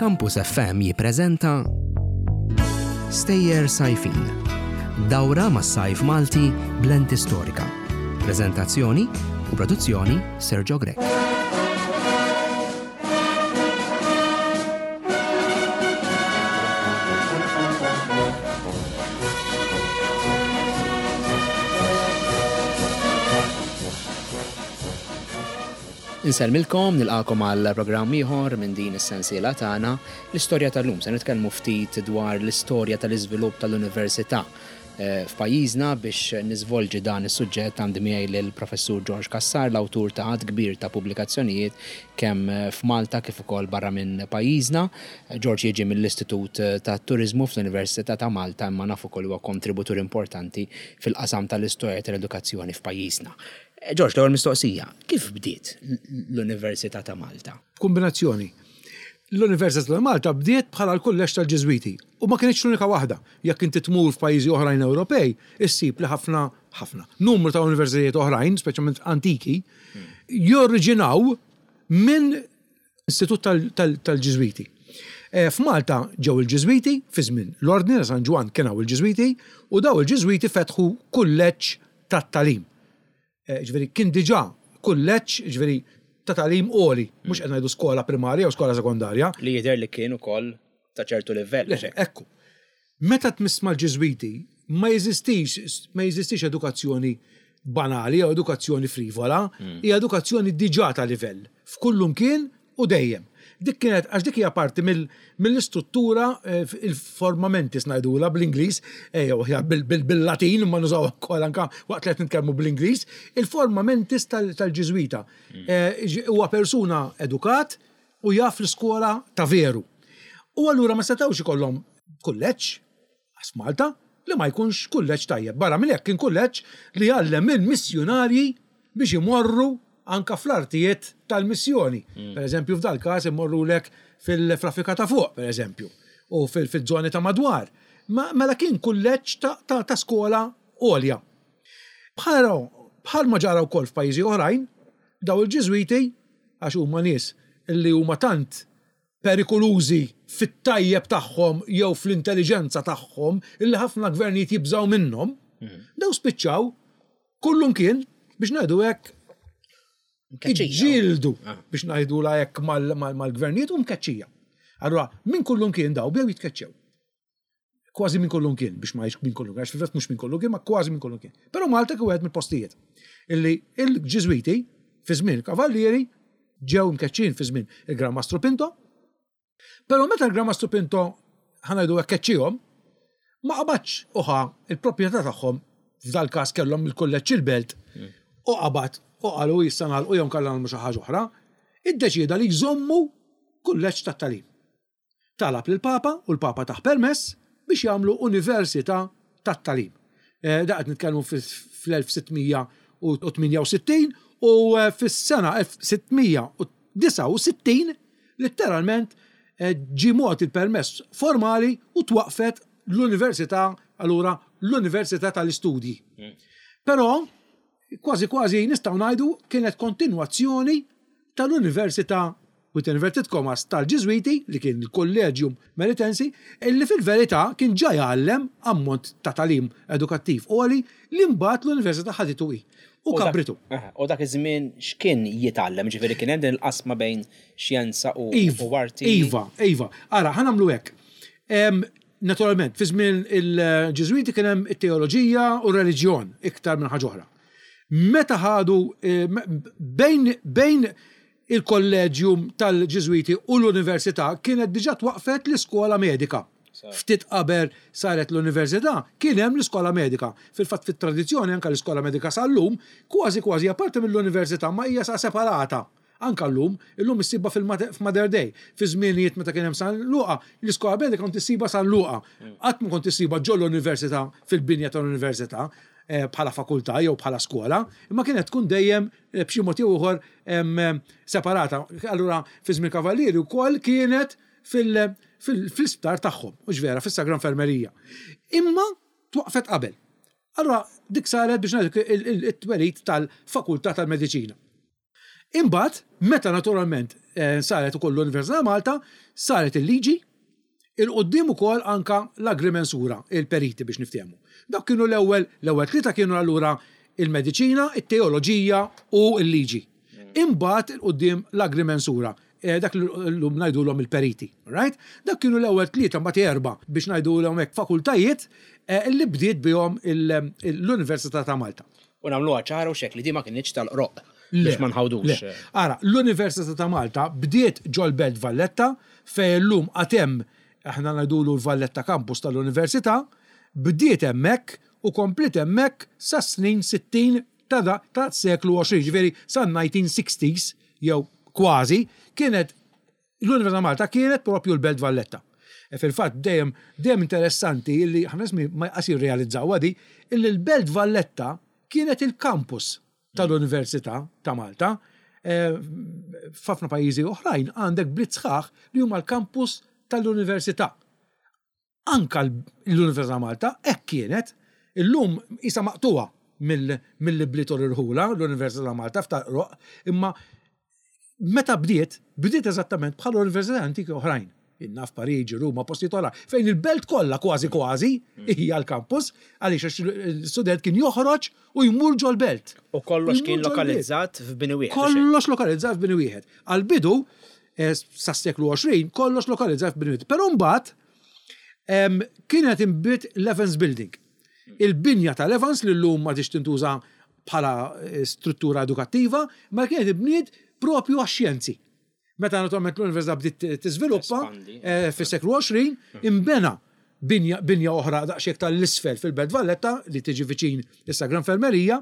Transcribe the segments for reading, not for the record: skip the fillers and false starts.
Campus FM jippreżenta Stejjer Sajfin. Dawra mas-sajf Malti b'lenti storika. Preżentazzjoni u produzzjoni Sergio Grech. Insellmilkom, nilqakom għal programm ieħor minn din is-sensiela tagħna, l-istorja tal-lum. Se nitkellmu ftit dwar l-istorja tal-iżvilupp tal-università eh, f'pajjiżna biex niżvolġi dan is-suġġett għandi miegħi lill-Professur George Cassar, l-awtur ta' għadd kbir ta' pubblikazzjonijiet kemm f'Malta kif ukoll barra minn pajjiżna. George jiġi mill-Istitut tat-Turiżmu fl-Università ta' Malta imma naf ukoll huwa kontributur importanti fil-qasam tal-istorja tal-edukazzjoni f'pajjiżna. George, l-ewwel mistoqsija, kif bdiet l-Università ta' Malta? B'kumbinazzjoni. L-Università ta' Malta bdiet bħala l-kulleġġ tal-Ġiżwiti u ma kinitx l-unika waħda. Jekk inti tmur f'pajjiżi oħrajn Ewropej, issib li ħafna, ħafna, numru ta' universitajiet oħrajn, speċjalment antiki, joriġinaw minn istitut tal-Ġiżwiti. F'Malta ġew il-Ġiżwiti fi żmien l-Ordni ta' San Ġwann kien hawn il-Ġiżwiti u dawn il-Ġiżwiti fetħu kulleġġ tat-tagħlim. Ġifieri kien diġà kulleġġ, ġifieri ta' tagħlim għoli, mhux qed ngħidu skola primarja jew skola sekondarja. Li jidher li kien ukoll ta' ċertu livell. Le, ekku. Meta tmiss mal-Ġiżwiti ma jeżistix ma jeżistix edukazzjoni banali jew edukazzjoni frivola, hija edukazzjoni diġà ta' livell, f'kullumkien u dejjem. Dik kienet, għax dik hija parti mill-istruttura, il-forma mentis ngħidulha bl-Ingliż, jew aħjar bil-Latin, imma nużawha wkoll anke waqt li qed nitkellmu bl-Ingliż, il-forma mentis tal-Ġiżwita. Huwa persuna edukat u jaf l-iskola ta' veru. U allura ma setgħux ikollhom kulleġġ, għax f'Malta, li ma jkunx kulleġġ tajjeb. Barra minn hekk kien kulleġġ li jgħallem il-missjunarji biex imorru anke fl-artijiet tal-missjoni. Per eżempju, f'dal-każ imorrulek fil-Afrika ta' fuq, per eżempju, u fil-żoni ta' madwar. Mela kien kulleġġ ta' skola għolja. Bħal bħalma ġara wkoll f'pajjiżi oħrajn, daw il-Ġiżwiti, għax huma nies li huma tant perikolużi fit-tajjeb tagħhom jew fl-intelliġenza tagħhom illi ħafna gvernijiet jibżgħu minnhom, daw spiċċaw kullumkien biex ngħidu hekk iġġieldu biex ngħidulha hekk mal-gvernijiet u mkeċċija. Allura minn kullumkien daw bdew jitkeċċew. Kważi minn kullumkien, biex ma minn kullumkien, għax fil-fatt mhux minn kullumkien, ma kważi minn kullumkien. Però Malta kien wieħed mill-postijiet illi il-Ġiżwiti fi żmien il-Kavallieri ġew mkeċċin fi żmien il-Gran Mastru Pinto. Però meta l-Gran Mastru Pinto ħa ngħidu hekk keċċihom, ma qabadx u ħa il-proprjetà tagħhom f'dal-każ kellhom il-kulleġġ il-belt u qabad u qalu issa nagħlqu jew nkella nagħmlu xi ħaġa oħra, iddeċieda li jżommu kulleġġ tat-tagħlim. Talab lill-Papa u l-Papa tah permess biex jagħmlu università tat-tagħlim. Da qed nitkellmu fl-1668 u fis-sena 1669 litteralment ġie mogħti l-permess formali u twaqqfet l-università, allura l-Università tal-Istudji. Però kważi kważi nistgħu ngħidu kienet kontinwazzjoni tal-Università with inverted commas, tal-Ġiżwiti, li kien il-Collegium Melitensi, illi fil-verità kien ġa jgħallem ammont ta' tagħlim edukattiv għoli li mbagħad l-Università ħaditu hi u kabritu. U dak iż-żmien x'kien jitgħallem? Ġifieri kien hemm din il-qasma bejn xjenza u arti? Iva, iva. Ara, ħa nagħmlu hekk. Naturalment, fi żmien il-Ġiżwiti kien hemm it-teoloġija u r-reliġjon iktar minn ħaġa oħra. Meta ħadu bejn bejn il-Kolleġjum tal-Ġiżwiti u l-Università kienet diġà twaqqfet l-iskola medika. Ftit qabel saret l-Università kien hemm l-iskola medika. Fil-fatt fit-tradizzjoni anke l-iskola medika sal-lum kważi kważi hija parti mill-Università ma hija sa separata. Anke llum, illum issibha f'Mater Dei. Fi żmienijiet meta kien hemm San Luqa, l-iskola medika kont issibha San Luqa. Qatt ma kont issibha ġol-Università fil-binja tal-Università bħala fakultà jew bħala skola, imma kienet tkun dejjem b'xi mod jew ieħor separata. Allura fi żmien Kavallieri wkoll kienet fl-isptar tagħhom, mhux vera, fis-Sagra Infermerija. Imma twaqqfet qabel. Allura dik saret biex ngħidlek it-twelid tal-Fakultà tal-Mediċina. Imbagħad, meta naturalment saret ukoll l-Università ta' Malta, saret il-liġi, 'il quddiem ukoll anka l-agrimensura, il-periti biex niftehmu. Dawk kienu l-ewwel, l-ewwel tlieta kienu allura il-mediċina, it-teoloġija u l-liġi. Imbagħad 'il quddiem l-agrimensura, dak li llum ngħidulhom il-periti. Right? Dawk kienu l-ewwel tlieta mbagħad erbgħa biex ngħidulhom hekk fakultajiet li bdiet bihom l-Università ta' Malta. U nagħmluha ċara u x'hekk li din ma kinitx tal-qroqq biex ma nħawdux. Le. Ara, l-Università ta' Malta bdiet ġol-Belt Valletta fejn illum għad hemm, aħna ngħidulu l-Valletta Campus tal-Università, bdiet hemmhekk u kompliet hemmhekk sas-snin 60 ta' tas-seklu 20, jiġifieri san-1960s jew kważi, kienet L-Università ta' Malta kienet propju l-Belt Valletta. E fil-fatt dejjem dejjem interessanti illi ħafna nies ma jqas jirrealizzawha di, illi l-Belt Valletta kienet il-campus tal-Università ta' Malta. E, f'ħafna pajjiżi oħrajn għandek bliet sħaħ li huma l-campus tal-università. Anka l-Università ta' Malta hekk kienet. Illum qisha maqtugħa mill-ibliet u l-irħula, l-Università ta' Malta f'tal-Qroqq, imma meta bdiet, bdiet eżattament bħal università antiki oħrajn. Jien naf Pariġi, Ruma, postijiet oħra, fejn il-belt kollha kważi kważi hija l-campus, għaliex għax l-student kien joħroġ u jmur ġol-belt. U kollox kien lokalizzat f'bini wieħed. Kollox lokalizzat f'bini wieħed. Għall-bidu, sas-seklu 20, kollox lokalizzat f'bini wieħed. Però mbagħad Kienet inbniet l-Evans Building. Il-binja tal-Evans li llum m'għadhiex tintuża bħala struttura edukattiva, ma kienet inbniet propju għax-xjenzi. Meta naturalment l-Università bdiet tiżviluppa fis-seklu 20, inbena binja oħra daqsxejn aktar 'l isfel fil-Belt Valletta li tiġi viċin is-Sagra Infermerija,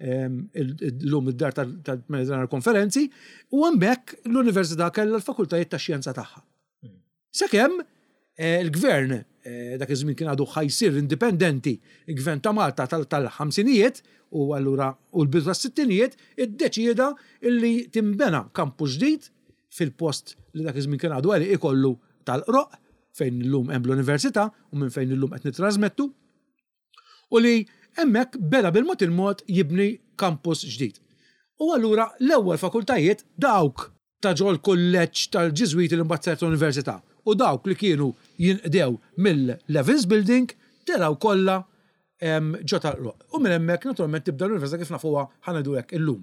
illum id-dar tal-Mediterranean Konferenzi, u hemmhekk l-Università kellha l-fakultajiet tax-xjenza tagħha. Sakemm il-gvern, dak iż-żmien kien għadu ħa jsir indipendenti, il-gvern ta' Malta tal-ħamsinijiet u allura u l-bidu tas-sittinijiet, iddeċieda li tinbena kampus ġdid fil-post li dak iż-żmien kien għadu għelieqi kollu tal-Qroqq, fejn illum hemm l-Università u minn fejn illum qed nittrażmettu. U li hemmhekk beda bil-mod il-mod jibni kampus ġdid. U allura l-ewwel fakultajiet dawk ta' ġol-kulleġġ tal-Ġiżwiti li mbagħad saret università u dawk li kienu jinqdew mill-Evans Building telgħu kollha ġo tal-Qroqq. U minn hemmhekk naturalment tibda l-università kif nafuha ħa ngħidu hekk illum.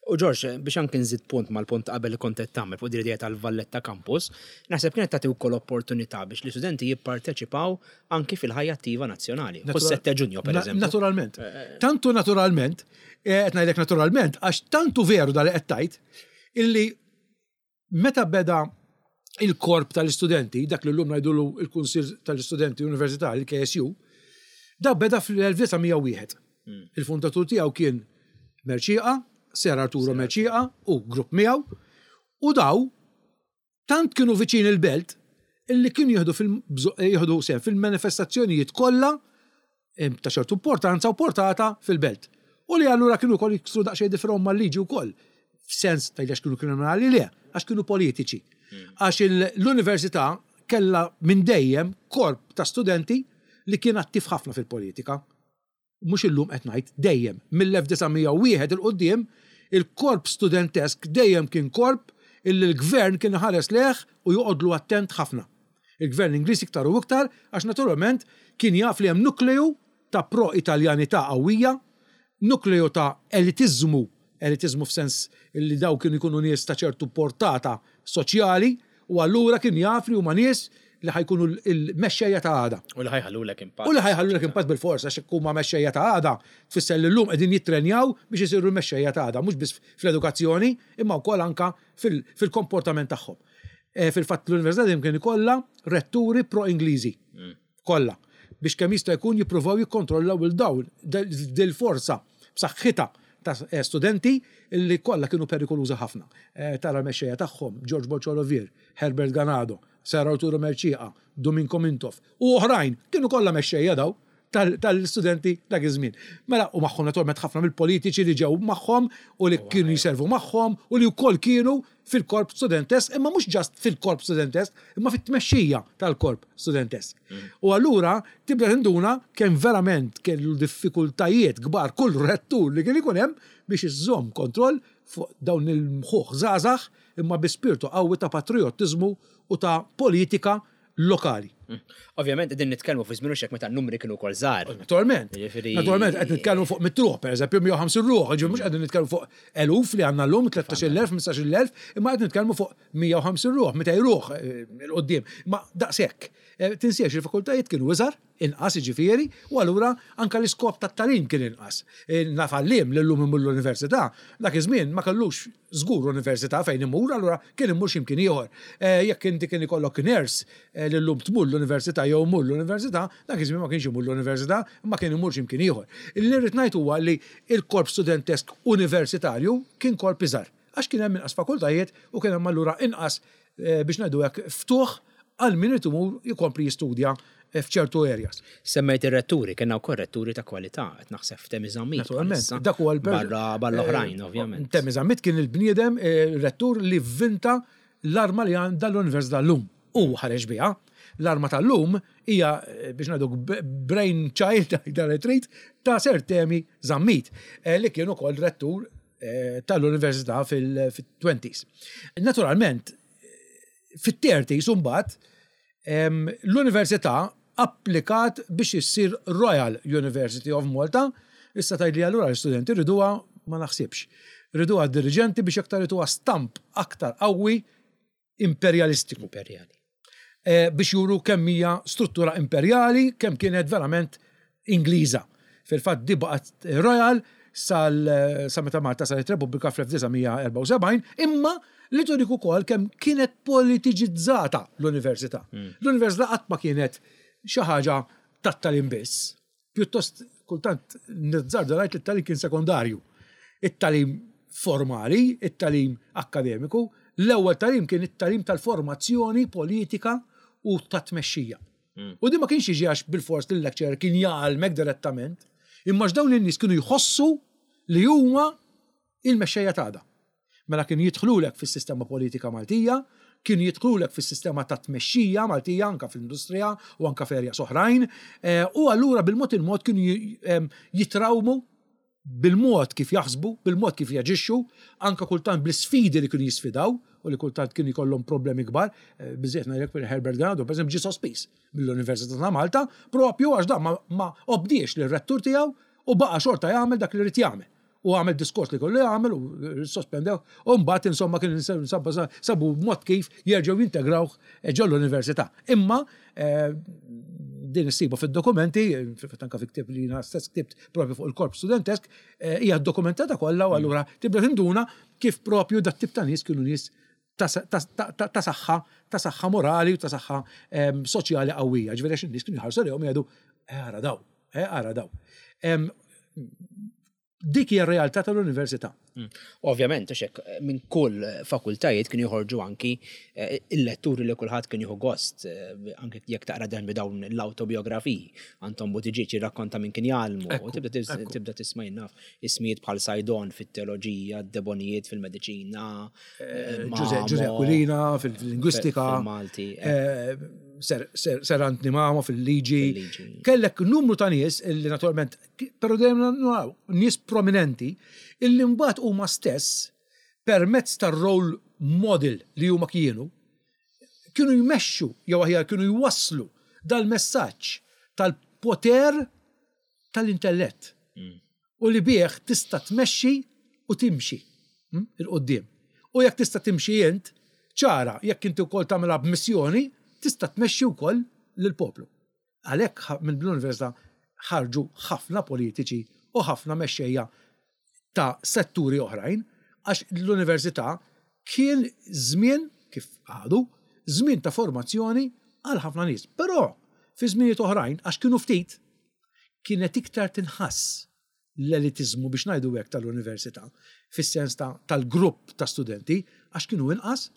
U Ġorġ, biex anki nżid punt mal-punt ta' qabel li kont qed tagħmel fuq din l-idea tal-Valletta Campus, naħseb kienet tagħti wkoll opportunità biex l-istudenti jipparteċipaw anki fil-ħajja attiva nazzjonali. Kull 7 Ġunju, per eżempju. Naturalment. Tantu naturalment, qed ngħidlek naturalment, għax tantu veru dal li qed tgħid, illi meta beda il-korp tal-istudenti, dak li llum ngħidulu il-Kunsill tal-Istudenti Universitari, il-KSU, da beda fl-1901. Il-fundatur tiegħu kien Mercieca, Ser Arturo Mercieca u grupp miegħu, u daw tant kienu viċin il-belt illi kienu jieħdu jieħdu sehem fil-manifestazzjonijiet kollha ta' ċertu importanza u portata fil-belt. U li allura kienu wkoll jiksru daqsxejn difrhom mal-liġi wkoll. F'sens tgħid għax kienu kriminali le, għax kienu politiċi. Għax l-università kellha minn dejjem korp ta' studenti li kien attiv ħafna fil-politika. Mhux illum qed ngħid, dejjem, mill-1901 'il quddiem, il-korp studentesk dejjem kien korp illi l-gvern kien iħares lejh u joqgħodlu attent ħafna. Il-gvern Ingliż iktar u iktar għax naturalment kien jaf li hemm nukleu ta' pro-Italjanità qawwija, nukleu ta' elitiżmu, elitiżmu f'sens li dawn kienu jkunu nies ta' ċertu portata soċjali u allura kien jaf li huma nies li ħa jkunu l-mexxejja ta' għada. U li ħa jħallulek impatt. U li ħa jħallulek impatt bilfors għax jekk huma mexxejja ta' għada tfisser li llum qegħdin jittrenjaw biex isiru l-mexxejja ta' għada mhux biss fl-edukazzjoni imma wkoll anke fil-komportament tagħhom. Fil-fatt l-Università dejjem kien ikollha retturi pro-Ingliżi. Kollha. Biex kemm jista' jkun jippruvaw jikkontrollaw il dawn dil-forza b'saħħitha ta' studenti li kollha kienu perikolużi ħafna. Tara l-mexxejja tagħhom, George Borg Olivier, Herbert Ganado, Sir Arturo Mercieca, Dominko Mintoff u oħrajn, kienu kollha mexxejja dawn tal-istudenti dak iż-żmien. Mela, u magħhom naturalment ħafna mill-politiċi li ġew magħhom u li kienu jservu magħhom u li wkoll kienu. fil-korp studentesk, imma mhux ġast fil-korp studentesk, imma fit-tmexxija tal-korp studentesk. U allura tibda tinduna kemm verament kellu diffikultajiet kbar kull rettur li kien ikun hemm biex iżomm kontroll fuq dawn il-mħuħ żgħażagħ imma bi spirtu qawwi ta' patrijottiżmu u ta' politika lokali. Ovvjament qegħdin nitkellmu fi żmien hekk meta n-numri kienu wkoll żgħar. Naturalment. Naturalment qed nitkellmu fuq mitt ruħ, pereżempju 150 ruħ, jiġifieri mhux qegħdin nitkellmu fuq eluf li għandna llum, 13,000, 15,000, imma qed nitkellmu fuq 150 ruħ, 200 ruħ 'il quddiem. Imma daqshekk. Tinsiex il-fakultajiet kienu iżgħar, inqas jiġifieri, u allura anke l-iskop tat-tagħlim kien inqas. Naf għalliem li llum imur l-università, dak iż-żmien ma kellux żgur università fejn imur, allura kien imur xi mkien ieħor. Jekk inti kien ikollok nurse li llum tmur l-università jew imur l-università, dak iż-żmien ma kienx imur l-università, imma kien imur xi mkien ieħor. Li rrid ngħid huwa li l-korp studentesk universitarju kien korp iżgħar, għax kien hemm inqas fakultajiet u kien hemm allura inqas biex ngħidu hekk ftuħ għal min irid imur jkompli jistudja f'ċertu areas. Semmejt ir-retturi, kellna wkoll retturi ta' kwalità, qed naħseb f'Temi Zammit. Naturalment, dak huwa l-barra barra oħrajn, ovvjament. Temi Zammit kien il-bniedem rettur li vvinta l-arma li għandha l-Università llum. Hu ħareġ biha. L-arma tal-lum hija biex ngħidu brain child dan li trid ta' Sir Temi Zammit li kien ukoll rettur tal-Università fil-20s. Naturalment, fit-30s imbagħad l-Università applikat biex issir Royal University of Malta. Issa tgħidli allura l-istudenti riduha, ma naħsibx. Riduha d-diriġenti biex aktar ituha stamp aktar qawwi imperjalistiku. Imperjali. Biex juru kemm hija struttura imperjali, kemm kienet verament Ingliża. Fil-fatt di baqgħet Royal sal sa meta Malta saret Repubblika fl-1974, imma li turik ukoll kemm kienet politiċizzata l-università. L-università qatt ma kienet xi ħaġa tat-tagħlim biss. Pjuttost kultant nizzarda ngħid li t-tagħlim kien sekondarju. It-tagħlim formali, it-tagħlim akkademiku, l-ewwel tagħlim kien it-tagħlim tal-formazzjoni politika u tat-tmexxija. U din ma kienx jiġi għax bilfors li l-lecturer kien jgħallmek direttament, imma għax dawn in-nies kienu jħossu li huma il-mexxejja t'għada. Mela kienu jidħlulek fis-sistema politika Maltija, kienu jidħlulek fis-sistema ta' tmexxija Maltija anke fl-industrija u anke f'areas oħrajn, u allura bil-mod il-mod kienu jitrawmu bil-mod kif jaħsbu, bil-mod kif jaġixxu, anke kultant bl-isfidi li kienu jisfidaw u li kultant kienu jkollhom problemi kbar. Biżżejjed ngħidlek Herbert Ganado, pereżempju, ġie sospiż mill-Università ta' Malta propju għax dan ma obdiex lir-rettur tiegħu u baqa' xorta jagħmel dak li ried jagħmel. U għamel diskors li kollu jagħmel u sospendew u mbagħad insomma kien sabu mod kif jerġgħu jintegrawh ġol l-università. Imma din issibu fid-dokumenti, fil-fatt anke fi ktieb li jiena stess ktibt propju fuq il-korp studentesk, hija dokumentata kollha u allura tibda tinduna kif propju dat tip ta' nies kienu nies ta' saħħa, ta' saħħa morali u ta' saħħa soċjali qawwija. Ġifieri għax in-nies kienu jħarsu lejhom jgħidu, ara daw, ara daw. Dik hija r-realtà tal-università. Ovvjament, għax hekk minn kull fakultajiet kienu joħorġu anki il-letturi li kulħadd kien jieħu gost, anki jekk taqra dan bi dawn l-awtobiografiji. Anton Buttigieg jirrakkonta min kien jgħallmu, u tibda tisma' jien naf ismijiet bħal Saydon fit-teoloġija, Debonijiet fil-mediċina, Ġużè Aquilina fil-lingwistika, fil-Malti, Sir Anthony Mamo fil-liġi. Kellek numru ta' nies li naturalment, però dejjem naraw nies prominenti illi mbagħad huma stess permezz tar-role model li huma kienu, kienu jmexxu jew aħjar kienu jwasslu dal-messaġġ tal-poter tal-intellett. U li bih tista' tmexxi u timxi 'l quddiem. U jekk tista' timxi int, ċara, jekk inti wkoll tagħmilha b'missjoni, tista' tmexxi wkoll lill-poplu. Għalhekk minn l-università ħarġu ħafna politiċi u ħafna mexxejja ta' setturi oħrajn, għax l-università kien żmien, kif għadu, żmien ta' formazzjoni għal ħafna nies. Però fi żminijiet oħrajn, għax kienu ftit, kienet iktar tinħass l-elitiżmu biex ngħidu hekk tal-università, fis-sens ta' tal-grupp ta' studenti, għax kienu inqas,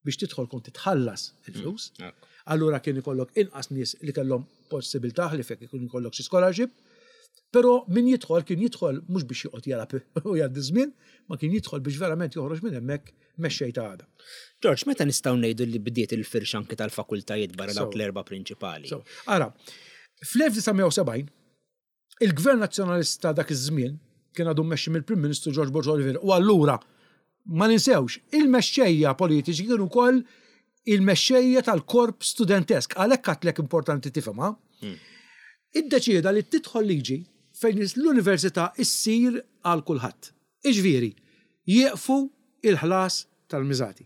biex tidħol kont titħallas il-flus. Allura kien ikollok inqas nies li kellhom possibilità li fek ikun ikollok xi scholarship. Però min jidħol kien jidħol mhux biex joqgħod jalgħab u jgħaddi ż-żmien, ma kien jidħol biex verament joħroġ minn hemmhekk mexxej ta' għada. George, meta nistgħu ngħidu li bdiet il-firxa anki tal-fakultajiet barra dawk l-erba' prinċipali? So, ara, fl-1970 il-Gvern Nazzjonalista dak iż-żmien kien għadu mmexxi mill-Prim Ministru George Borg Olivier u allura ma ninsewx, il-mexxejja politiċi kienu wkoll il-mexxejja tal-korp studentesk, għalhekk għadtlek importanti tifhimha. Iddeċieda li tidħol liġi fejn l-università issir għal kulħadd. Iġifieri, jieqfu il-ħlas tal-miżati.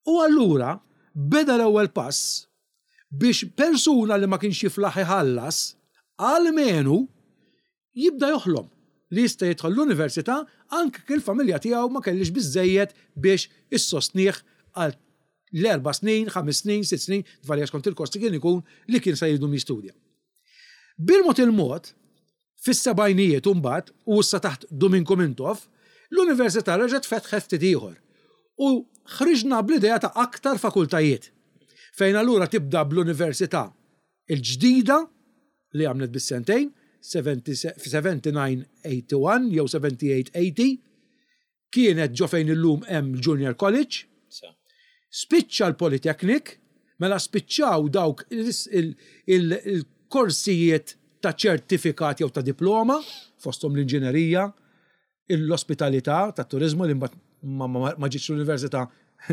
U allura beda l-ewwel pass biex persuna li ma kienx jiflaħ iħallas, almenu jibda joħlom li jista' jidħol l-università anke jekk il-familja tiegħu ma kellhiex biżżejjed biex issostnih għal l-erba' snin, 5 snin, 6 snin, tvarja skont il-kosti kien ikun li kien se jdum jistudja. Bil-mod il-mod, fis-sebgħinijiet imbagħad, u issa taħt Duminku Mintoff, l-università reġgħet fetħet ftit ieħor u ħriġna bl-idea ta' aktar fakultajiet. Fejn allura tibda bl-università il-ġdida li għamlet bis-sentejn, 79-81 jew 78-80, kienet ġo fejn illum hemm Junior College. Spiċċa l-Polytechnic, mela spiċċaw dawk il-korsijiet ta' ċertifikat jew ta' diploma, fosthom l-inġinerija, l-ospitalità, tat-turizmu li mbagħad ma ġietx l-università,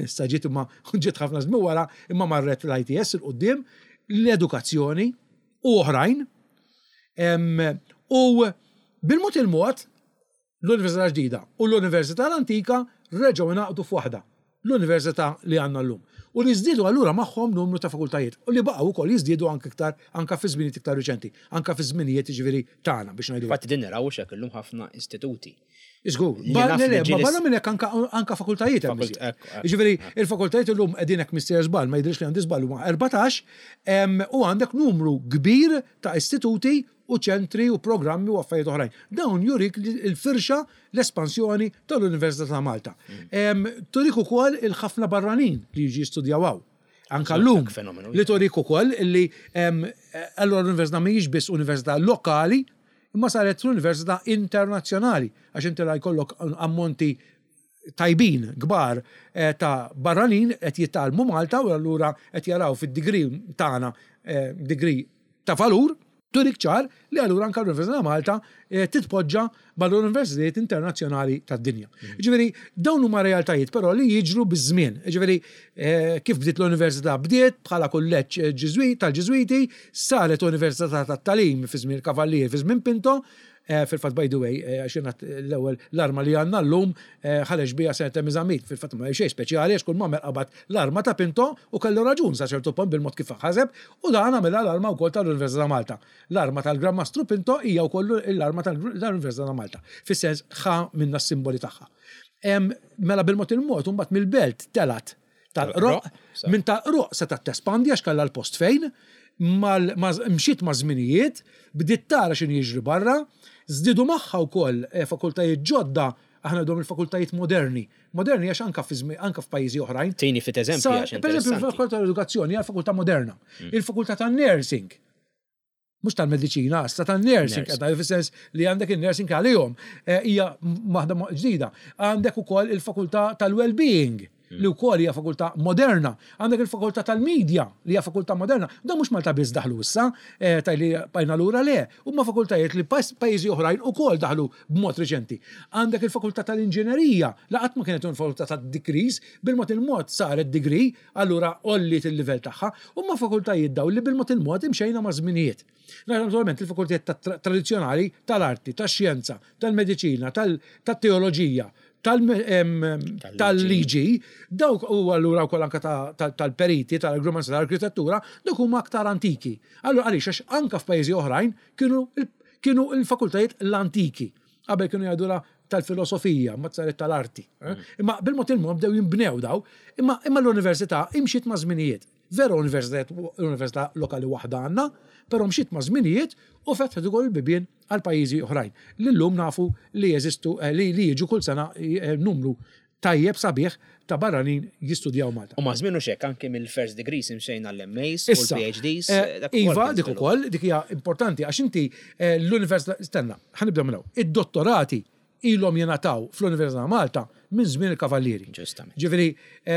issa ġiet imma ġiet ħafna żmien wara, imma marret l-ITS 'il quddiem, l-edukazzjoni u oħrajn. U bil-mod il-mod l-Università ġdida u l-Università l-Antika reġgħu ingħaqdu f'waħda, l-Università li għandna llum. U li żdiedu allura magħhom numru ta' fakultajiet u li baqgħu wkoll jiżdiedu anke iktar anke fi żminijiet iktar riċenti, anke fi żminijiet jiġifieri tagħna biex ngħidu. Infatti din naraw hekk illum ħafna istituti. Żgur, ma barra minn hekk anka fakultajiet hemm. Jiġifieri il-fakultajiet illum qegħdin hekk mister żball, ma jidhirx li għandi żball huma 14 u għandek numru kbir ta' istituti u ċentri u programmi u affarijiet oħrajn. Dawn jurik il-firxa, l-espansjoni tal-Università ta' Malta. Turik ukoll il-ħafna barranin li jiġi jistudjaw hawn. Anka llum li turik ukoll li allura l-università mhijiex biss università lokali, imma saret l-università internazzjonali, għax inti la jkollok ammonti tajbin, kbar ta' barranin qed jitgħallmu Malta u allura qed jaraw fid-degree tagħna degree ta' valur, turik ċar li allura anka l-Università ta' Malta titpoġġa mal-universitajiet internazzjonali tad-dinja. Ġifieri dawn huma realtajiet però li jiġru biż-żmien. Ġifieri kif bdiet l-università bdiet bħala kulleġġ tal-Ġiżwiti, saret università tat-tagħlim fi żmien il-Kavallier, fi żmien Pinto, fil-fatt by the way, għax jien l-ewwel l-arma li għandna llum ħareġ biha Senator Mizamit, fil-fatt ma xejn speċjali għax kull m'għamel qabad l-arma ta' Pinto u kellu raġun sa ċertu punt bil-mod kif ħaseb u dan għamilha l-arma wkoll tal-Università ta' Malta. L-arma tal-Gran Mastru Pinto hija wkoll l-arma tal-Università ta' Malta. Fis-sens ħa minna s-simboli tagħha. Mela bil-mod il-mod imbagħad mill-belt telat tal-Qroq, minn tal-Qroq setgħet tespandi għax kellha l-post fejn, mxiet ma' żminijiet, bdiet tara x'inhu jiġri barra, żdiedu magħha wkoll fakultajiet ġodda, aħna ngħidulhom il-fakultajiet moderni. Moderni għax anka anka f'pajjiżi oħrajn. Tini fit eżempji għax Per eżempju, il-fakultà tal-edukazzjoni hija fakultà moderna. Il-fakultà tan-nursing, mhux tal-mediċina, issa tan-nursing, qed ngħidu fis-sens li għandek in-nursing għalihom, hija waħda ġdida. Għandek ukoll il-fakultà tal-well-being, li wkoll hija fakultà moderna. Għandek il-fakultà tal-media, li hija fakultà moderna. Dan mhux Malta biss daħlu issa, tajli bajna lura le, huma fakultajiet li pajjiżi oħrajn ukoll daħlu b'mod reċenti. Għandek il-fakultà tal-inġinerija, la qatt ma kienet fakultà tad-degrees, bil-mod il-mod saret degree, allura għolliet il-livell tagħha, huma fakultajiet dawn li bil-mod il-mod imxejna ma' żminijiet. Naturalment il-fakultajiet tradizzjonali tal-arti, tax-xjenza, tal-mediċina, tat-teoloġija, tal-liġi, dawk u allura wkoll anka tal-periti, tal-agrumanza, tal-arkitettura, dawk huma aktar antiki. Allura għaliex għax anka f'pajjiżi oħrajn kienu l-fakultajiet l-antiki. Qabel kienu jgħidula tal-filosofija, ma saret tal-arti. Imma bil-mod il-mod bdew jinbnew daw, imma l-università imxiet ma' żminijiet. Vera università lokali waħda għandna, però mxiet ma' żminijiet u fetħet ukoll il-bibien għal pajjiżi oħrajn. Li llum nafu li jeżistu li jiġu kull sena numru tajjeb sabiħ ta' barranin jistudjaw Malta. U maż-żmien hux hekk, anki mill-first degrees imxejna għall-MAs u l-PhDs. Iva, dik ukoll, dik hija importanti għax inti l-università, stenna, ħa nibda minn hawn. Id-dottorati ilhom jingħataw fl-Università ta' Malta minn żmien il-Kavallieri. Ġustament. Ġifieri,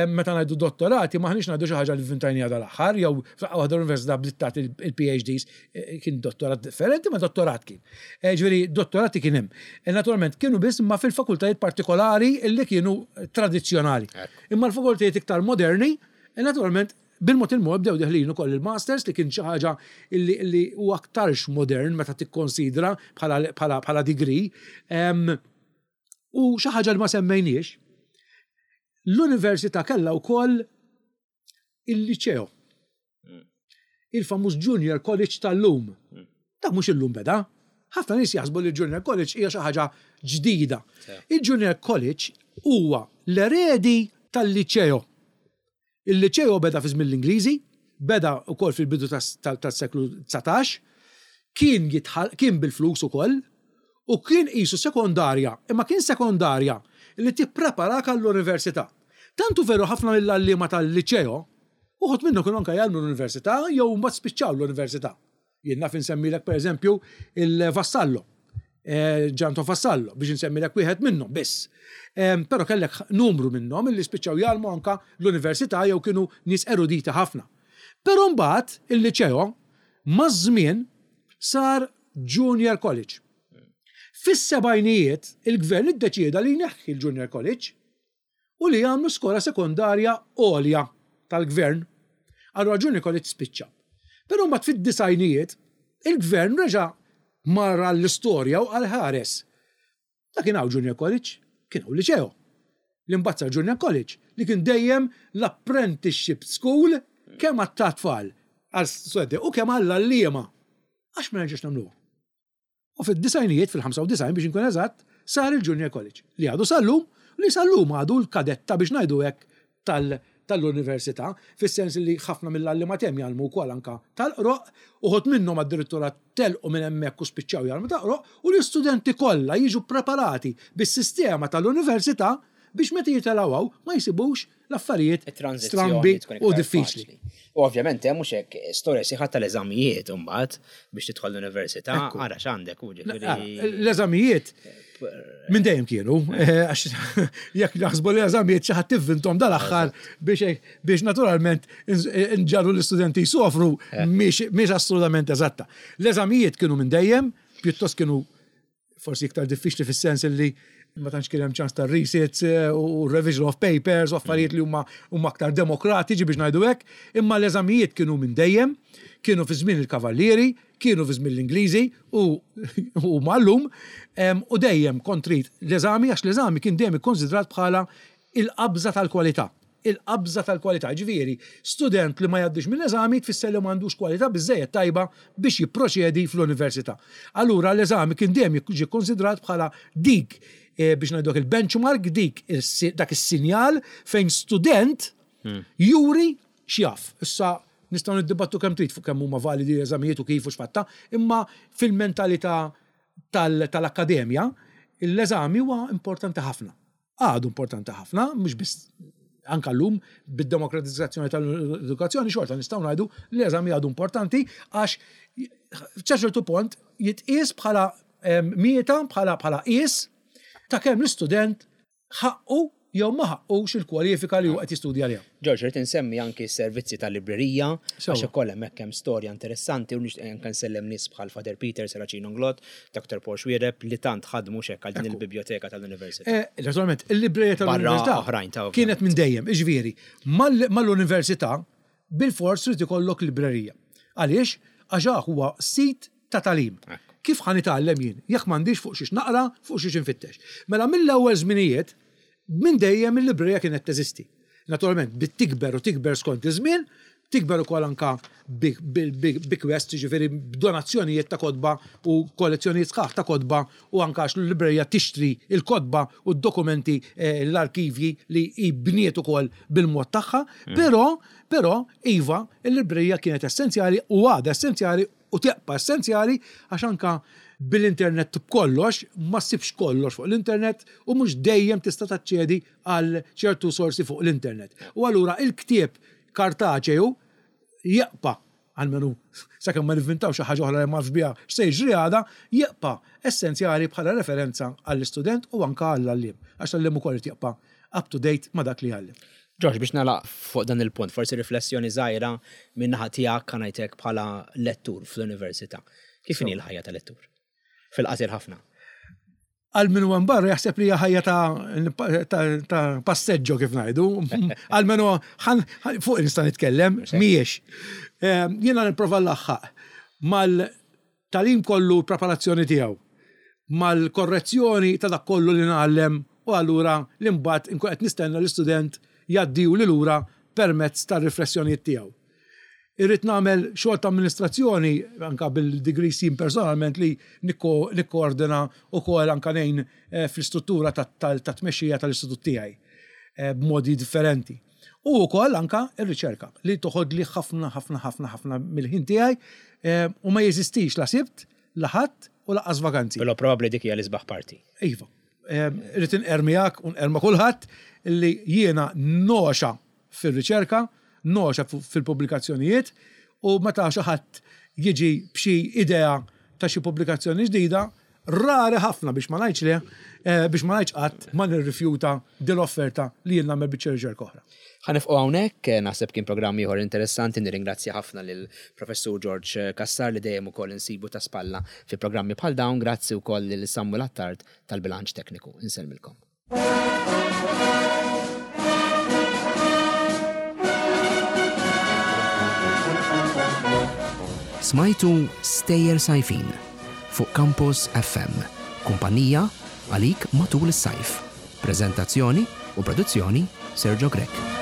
meta ngħidu dottorati m'aħniex ngħidu xi ħaġa li vvintajniha dal-aħħar jew f'daqqa waħda l-università bdiet tagħti il-PhDs, kien dottorat differenti ma dottorat kien. Ġifieri dottorati kien hemm. Naturalment kienu biss imma fil-fakultajiet partikolari li kienu tradizzjonali. Imma l-fakultajiet iktar moderni, naturalment Bil-mod il-mod bdew deħlin ukoll il-masters li kien xi ħaġa li huwa aktarx modern meta tikkonsidra bħala degree. U xi ħaġa li ma semmejniex, l-università kellha wkoll il-liċeo. Il-famuż Junior College tal-lum. Dak mhux illum beda. Ħafna nies jaħsbu li l-Junior College hija xi ħaġa ġdida. Il-Junior College huwa l-eredi tal-liċeo. Il-Liċeo beda fi żmien l-Ingliżi, beda wkoll fil-bidu tas-seklu 19, kien kien bil-flus ukoll u kien qisu sekondarja, imma kien sekondarja li tippreparak għall-università. Tant hu veru ħafna mill-għalliema tal-Liċeo, uħud minnhom kienu anke jgħallmu l-università jew mbagħad spiċċaw l-università. Jien naf insemmilek pereżempju il-Vassallo, eh, Ġanto Vassallo, biex insemmilek wieħed minnhom biss. Però kellek numru minnhom illi spiċċaw jgħallmu anka l-università jew kienu nies eruditi ħafna. Però mbagħad il-liċeo maż-żmien sar Junior College. Fis-sebgħinijiet il-gvern iddeċieda li jneħħi l-Junior College u li jagħmlu skola sekondarja għolja tal-gvern. Allura Junior College spiċċa. Però mbagħad fid-disgħinijiet il-gvern reġa' mar għall-istorja u qal ħares. Da kien hawn Junior College, kien hawn liċeo. Li mbagħad sar Junior College, li kien dejjem l-apprenticeship school kemm għat-tfal għal studenti u kemm għall-għalliema. Għax ma nerġgħux nagħmluha? U fid-disgħinijiet, fil-95 biex inkun eżatt, sar il-Junior College, li għadu sal-lum, li sal-lum għadu l-kadetta biex ngħidu hekk tal-università, fis-sens li ħafna mill-għalliema t'hemm jgħallmu wkoll anke tal-qroq, uħud minnhom addirittura telqu minn hemmhekk u spiċċaw jgħallmu tal-qroq, u l-istudenti kollha jiġu ppreparati bis-sistema tal-università biex meta jitilgħu hawn ma jsibux l-affarijiet strambi u diffiċli. U ovvjament hemm mhux hekk storja sieħa tal-eżamijiet imbagħad biex tidħol l-università, ara x'għandek u ġifieri. L-eżamijiet minn dejjem kienu, eh, għax jekk naħsbu li l-eżamijiet xi ħadd tivvintom dal-aħħar biex naturalment nġarru l-istudenti jsofru eh. mhix assolutament eżatta. L-eżamijiet kienu minn dejjem, pjuttost kienu forsi iktar diffiċli fis-sens li ma tantx kien hemm ċans ta' resits eh, u revision of papers u affarijiet li huma huma aktar demokratiċi biex ngħidu hekk, imma l-eżamijiet kienu minn dejjem, kienu fi żmien il-Kavallieri, kienu fi żmien l-Ingliżi u u mallum u dejjem kont trid l-eżami għax l-eżami kien dejjem ikkonsidrat bħala il-qabża tal-kwalità. Il-qabża tal-kwalità, jiġifieri, student li ma jgħaddix mill-eżami tfisser li m'għandux kwalità biżżejjed tajba biex jipproċedi fl-università. Allura l-eżami kien dejjem jiġi kkonsidrat bħala dik, biex ngħidu hekk, il-benchmark, dik dak is-sinjal fejn student juri x'jaf. Issa nistgħu niddibattu kemm trid fuq kemm huma validi l-eżamijiet u kif u x'fatta, imma fil-mentalità tal-akkademja l-eżami huwa importanti ħafna. Għadu importanti ħafna, mhux biss anka llum bid-demokratizzazzjoni tal-edukazzjoni xorta nistgħu ngħidu li l-eżami għadu importanti għax ċertu pont jitqies bħala mieta bħala bħala qies ta' kemm l-istudent ħaqqu jew ma ħaqqux il-kwalifika li hu qed jistudja għaliha. George, rrid insemmi anki s-servizzi tal-librerija, għax ukoll hemmhekk hemm storja interessanti u nixtieq anke nsellem nies bħal Father Peter Serracino Nglott, Dr. Paul Xuereb li tant ħadmu x'hekk għal din il-bibljoteka tal-Università. Eh, naturalment, il-librerija tal-Università kienet minn dejjem, iġifieri, mal-Università bil-fors trid ikollok librerija. Għaliex? Għax huwa sit ta' tagħlim. Kif ħa nitgħallem jien jekk m'għandix fuq xiex naqra, fuq xiex infittex? Mela mill-ewwel żminijiet, minn dejjem il-librerija kienet teżisti. Naturalment, bdiet tikber u tikber skont iż-żmien, tikber ukoll anka bi-bequests, jiġifieri b'donazzjonijiet ta' kotba u kollezzjonijiet sħaħ ta' kotba u anka għax l-librerija tixtri l-kotba u d-dokumenti, l-arkivji li hi bniet ukoll bil-mod tagħha. Però, però, iva, il-librerija kienet essenzjali u għadha essenzjali u tibqa' essenzjali għax anka. bil-internet b'kollox, ma ssibx kollox fuq l-internet u mhux dejjem tista' taċċedi għal ċertu sorsi fuq l-internet. U allura il-ktieb kartaċeju jibqa', almenu sakemm ma nivvintaw xi ħaġa oħra li ma nafx biha x'se jiġri għada, jibqa' essenzjali bħala referenza għall-istudent u anke għall-għalliem, għax l-għalliem ukoll irid jibqa' up to date ma' dak li jgħallem. George, biex nagħlaq fuq dan il-punt, forsi riflessjoni żgħira min-naħa tiegħek ħa ngħid hekk bħala lettur fl-università. Kif inhi l-ħajja ta' lettur? Fil-qasir ħafna. Għal min huwa barra jaħseb li hija ħajja ta' ta' passeġġo kif ngħidu. Għal min huwa fuq nista' nitkellem, mhijiex. Jiena nipprova nlaħħaq mal-tagħlim kollu l-preparazzjoni tiegħu, mal-korrezzjoni ta' dak kollu li ngħallem u allura li mbagħad inkun qed nistenna l-istudent jgħaddihuli lura permezz tar-riflessjonijiet tiegħu. Irrid nagħmel xogħol ta' amministrazzjoni anke bil-degrees jien personalment li nikkoordina wkoll anke ngħin fl-istruttura tat-tmexxija tal-istitut tiegħi b'modi differenti. U wkoll anke r-riċerka li toħodli ħafna ħafna ħafna ħafna mill-ħin tiegħi u ma jeżistix la Sibt, la Ħadd u lanqas vaganzi. Però probabbli dik hija l-isbaħ parti. Iva. Irrid inqerr miegħek u nqerr ma' kulħadd li jiena nogħxa fir-riċerka, nogħxa fil-pubblikazzjonijiet u meta xi ħadd jiġi b'xi idea ta' xi pubblikazzjoni ġdida, rari ħafna biex ma ngħidx le, biex ma ngħidx qatt ma nirrifjuta din l-offerta li jien nagħmel biċċa riċerka oħra. Ħa nifqu hawnhekk, naħseb kien programm ieħor interessanti, nirringrazzja ħafna lil Professur George Cassar li dejjem ukoll insibu ta' spalla fi programmi bħal dawn, grazzi wkoll lil Samuel Attard tal-bilanċ tekniku. Insellmilkom. Smajtu Stejjer Sajfin fuq Campus FM, kumpanija għalik matul is-sajf. Preżentazzjoni u produzzjoni Sergio Grech.